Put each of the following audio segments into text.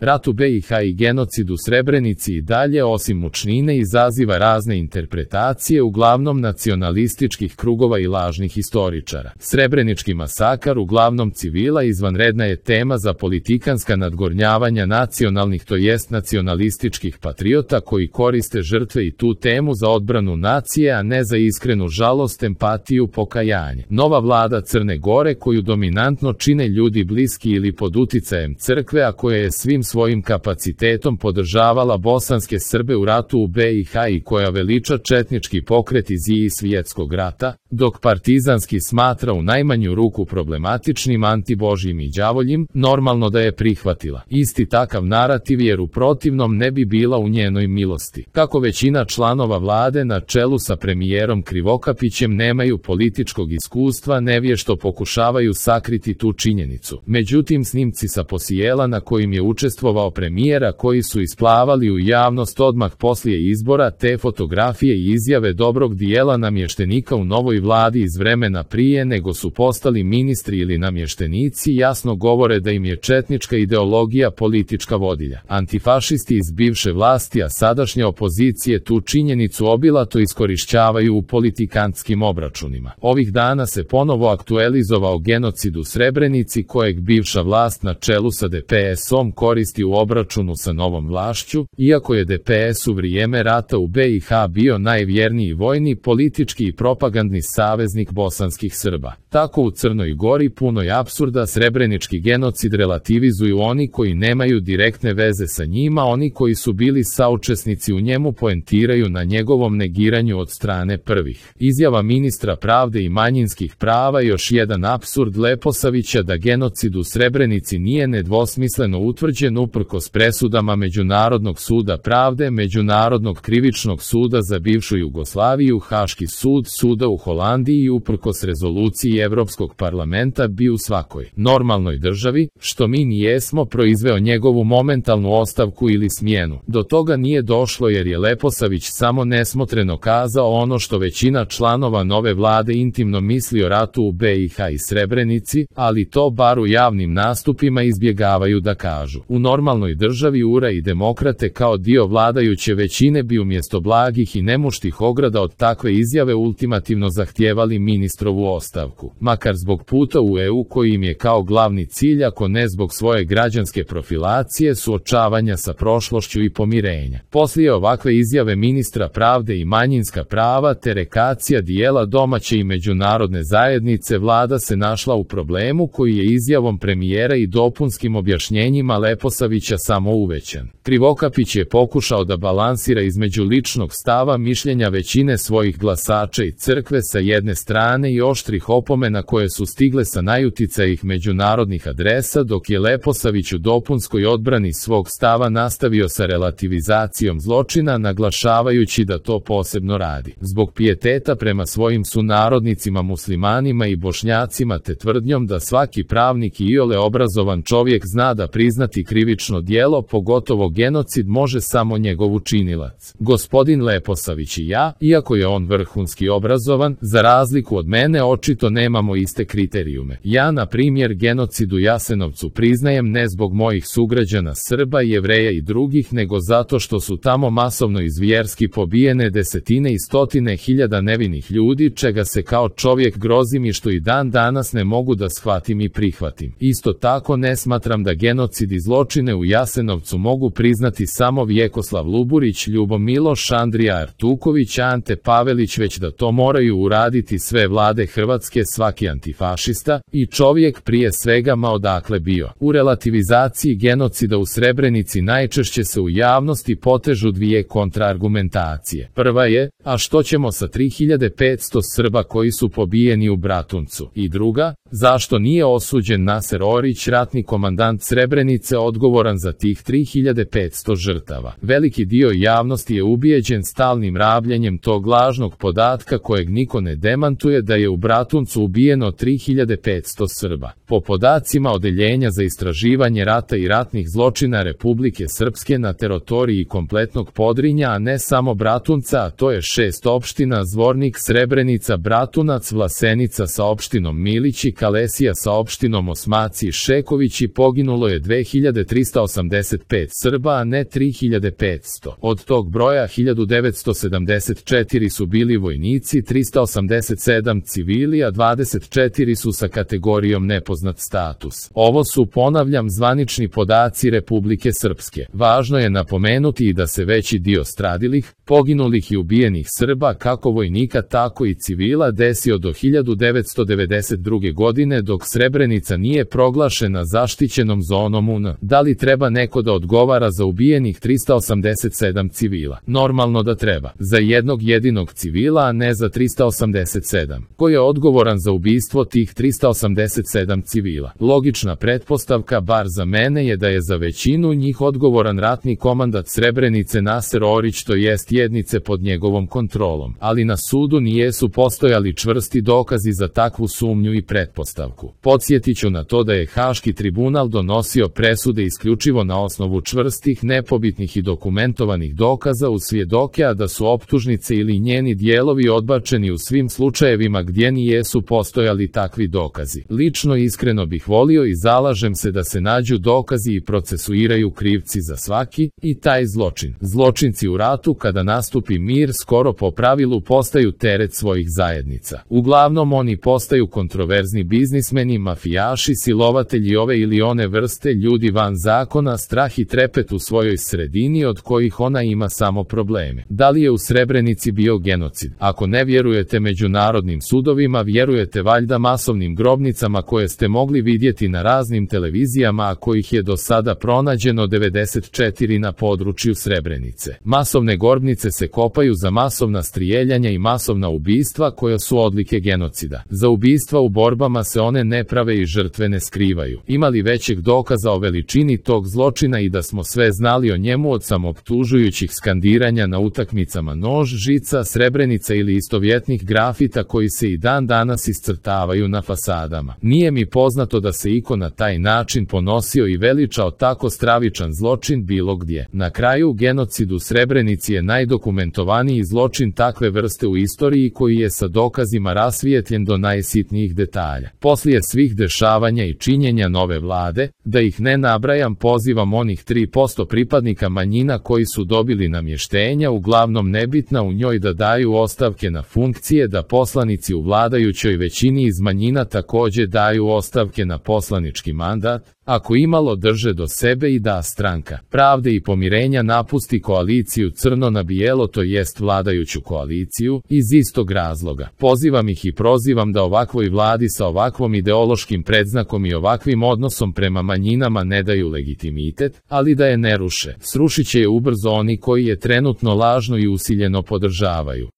Rat u BiH i genocid u Srebrenici i dalje osim mučnine izaziva razne interpretacije uglavnom nacionalističkih krugova i lažnih istoričara. Srebrenički masakar uglavnom civila izvanredna je tema za politikanska nadgornjavanja nacionalnih to jest nacionalističkih patriota koji koriste žrtve i tu temu za odbranu nacije, a ne za iskrenu žalost, empatiju, pokajanje. Nova vlada Crne Gore koju dominantno čine ljudi bliski ili pod uticajem crkve, a koja je svim svojim kapacitetom podržavala bosanske Srbe u ratu u BiH i koja veliča četnički pokret iz Svjetskog rata, dok partizanski smatra u najmanju ruku problematičnim antibožjim i đavoljim, normalno da je prihvatila isti takav narativ jer u protivnom ne bi bila u njenoj milosti. Kako većina članova vlade na čelu sa premijerom Krivokapićem nemaju političkog iskustva, nevješto pokušavaju sakriti tu činjenicu. Međutim, snimci sa posijela na kojim je učestvovao premijera koji su isplavali u javnost odmah poslije izbora, te fotografije i izjave dobrog dijela namještenika u novoj vladi iz vremena prije nego su postali ministri ili namještenici jasno govore da im je četnička ideologija politička vodilja. Antifašisti iz bivše vlasti, a sadašnje opozicije tu činjenicu obilato iskorišćavaju u politikantskim obračunima. Ovih dana se ponovo aktualizovao genocid u Srebrenici kojeg bivša vlast na čelu sa DPS-om koristi u obračunu sa novom vlašću, iako je DPS u vrijeme rata u BiH bio najvjerniji vojni, politički i propagandni saveznik bosanskih Srba. Tako u Crnoj Gori puno je apsurda, srebrenički genocid relativizuju oni koji nemaju direktne veze sa njima, oni koji su bili saučesnici u njemu poentiraju na njegovom negiranju od strane prvih. Izjava ministra pravde i manjinskih prava još jedan apsurd Leposavića da genocid u Srebrenici nije nedvosmisleno utvrđen uprkos presudama Međunarodnog suda pravde, Međunarodnog krivičnog suda za bivšu Jugoslaviju, Haški sud, suda u Holandiji i uprkos rezoluciji Evropskog parlamenta bi u svakoj normalnoj državi, što mi nijesmo, proizveo njegovu momentalnu ostavku ili smjenu. Do toga nije došlo jer je Leposavić samo nesmotreno kazao ono što većina članova nove vlade intimno misli o ratu u BiH i Srebrenici, ali to bar u javnim nastupima izbjegavaju da kažu. U normalnoj državi URA i demokrate kao dio vladajuće većine bi umjesto blagih i nemuštih ograda od takve izjave ultimativno zahtijevali ministrovu ostavku. Makar zbog puta u EU koji im je kao glavni cilj, ako ne zbog svoje građanske profilacije, suočavanja sa prošlošću i pomirenja. Poslije ovakve izjave ministra pravde i manjinska prava te rekacija dijela domaće i međunarodne zajednice, vlada se našla u problemu koji je izjavom premijera i dopunskim objašnjenjima Leposavića samo uvećan. Krivokapić je pokušao da balansira između ličnog stava mišljenja većine svojih glasača i crkve sa jedne strane i oštrih opomena koje su stigle sa najuticajih međunarodnih adresa, dok je Leposavić u dopunskoj odbrani svog stava nastavio sa relativizacijom zločina, naglašavajući da to posebno radi zbog pijeteta prema svojim sunarodnicima muslimanima i Bošnjacima te tvrdnjom da svaki pravnik i iole obrazovan čovjek zna da priznati krivično djelo, pogotovo genocid, može samo njegov učinilac. Gospodin Leposavić i ja, iako je on vrhunski obrazovan, za razliku od mene očito nemamo iste kriterijume. Ja, na primjer, genocid u Jasenovcu priznajem ne zbog mojih sugrađana Srba, Jevreja i drugih, nego zato što su tamo masovno i zvjerski pobijene desetine i stotine hiljada nevinih ljudi, čega se kao čovjek grozim i što i dan danas ne mogu da shvatim i prihvatim. Isto tako ne smatram da genocid i zločine u Jasenovcu mogu priznati samo Vjekoslav Luburić, Ljubo Miloš, Andrija Artuković, Ante Pavelić, već da to moraju uraditi sve vlade Hrvatske, svaki antifašista i čovjek prije svega ma odakle bio. U relativizaciji genocida u Srebrenici najčešće se u javnosti potežu dvije kontraargumentacije. Prva je, a što ćemo sa 3500 Srba koji su pobijeni u Bratuncu? I druga, zašto nije osuđen Naser Orić, ratni komandant Srebrenice, odgovoran za tih 3500 žrtava? Veliki dio javnosti je ubijeđen stalnim rabljenjem tog lažnog podatka kojeg niko ne demantuje, da je u Bratuncu ubijeno 3500 Srba. Po podacima Odeljenja za istraživanje rata i ratnih zločina Republike Srpske na teritoriji kompletnog Podrinja, a ne samo Bratunca, a to je 6 opština: Zvornik, Srebrenica, Bratunac, Vlasenica sa opštinom Milići, Kalesija sa opštinom Osmaci i Šekovići, poginulo je 2300 2385 Srba, a ne 3500. Od tog broja 1974 su bili vojnici, 387 civili, a 24 su sa kategorijom nepoznat status. Ovo su, ponavljam, zvanični podaci Republike Srpske. Važno je napomenuti i da se veći dio stradilih, poginulih i ubijenih Srba, kako vojnika tako i civila, desio do 1992. godine dok Srebrenica nije proglašena zaštićenom zonom UN. Da li treba neko da odgovara za ubijenih 387 civila? Normalno da treba. Za jednog jedinog civila, a ne za 387. Ko je odgovoran za ubistvo tih 387 civila? Logična pretpostavka, bar za mene, je da je za većinu njih odgovoran ratni komandant Srebrenice Naser Orić, to jest jednice pod njegovom kontrolom. Ali na sudu nijesu postojali čvrsti dokazi za takvu sumnju i pretpostavku. Podsjetiću na to da je Haški tribunal donosio presude isključivo na osnovu čvrstih, nepobitnih i dokumentovanih dokaza uz svjedoke, a da su optužnice ili njeni dijelovi odbačeni u svim slučajevima gdje nijesu postojali takvi dokazi. Lično iskreno bih volio i zalažem se da se nađu dokazi i procesuiraju krivci za svaki i taj zločin. Zločinci u ratu, kada nastupi mir, skoro po pravilu postaju teret svojih zajednica. Uglavnom oni postaju kontroverzni biznismeni, mafijaši, silovatelji ove ili one vrste, ljudi van zakona, strah i trepet u svojoj sredini od kojih ona ima samo probleme. Da li je u Srebrenici bio genocid? Ako ne vjerujete međunarodnim sudovima, vjerujete valjda masovnim grobnicama koje ste mogli vidjeti na raznim televizijama, a kojih je do sada pronađeno 94 na području Srebrenice. Masovne grobnice se kopaju za masovna strijeljanja i masovna ubistva koja su odlike genocida. Za ubistva u borbama se one ne prave i žrtve ne skrivaju. Ima li većeg dokaza o veličini tog zločina i da smo sve znali o njemu od samoptužujućih skandiranja na utakmicama nož, žica, Srebrenica ili istovjetnih grafita koji se i dan danas iscrtavaju na fasadama? Nije mi poznato da se iko na taj način ponosio i veličao tako stravičan zločin bilo gdje. Na kraju, genocid u Srebrenici je najdokumentovaniji zločin takve vrste u istoriji koji je sa dokazima rasvijetljen do najsitnijih detalja. Poslije svih dešavanja i činjenja nove vlade, da ih ne nabrajam, pozivam onih 3% pripadnika manjina koji su dobili namještenja, uglavnom nebitna u njoj, da daju ostavke na funkcije, da poslanici u vladajućoj većini iz manjina također daju ostavke na poslanički mandat, ako imalo drže do sebe, i da Stranka pravde i pomirenja napusti koaliciju crno na bijelo, to jest vladajuću koaliciju, iz istog razloga. Pozivam ih i prozivam da ovakvoj vladi sa ovakvom ideološkim predznakom i ovakvim odnosom prema manjinama ne daju legitimitet, ali da je ne ruše. Srušit će je ubrzo oni koji je trenutno lažno i usiljeno podržavaju.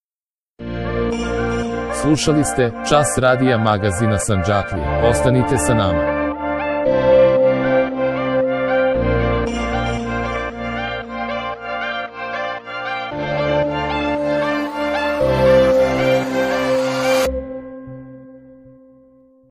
Slušali ste Čas radija magazina Sandžaklija. Ostanite sa nama.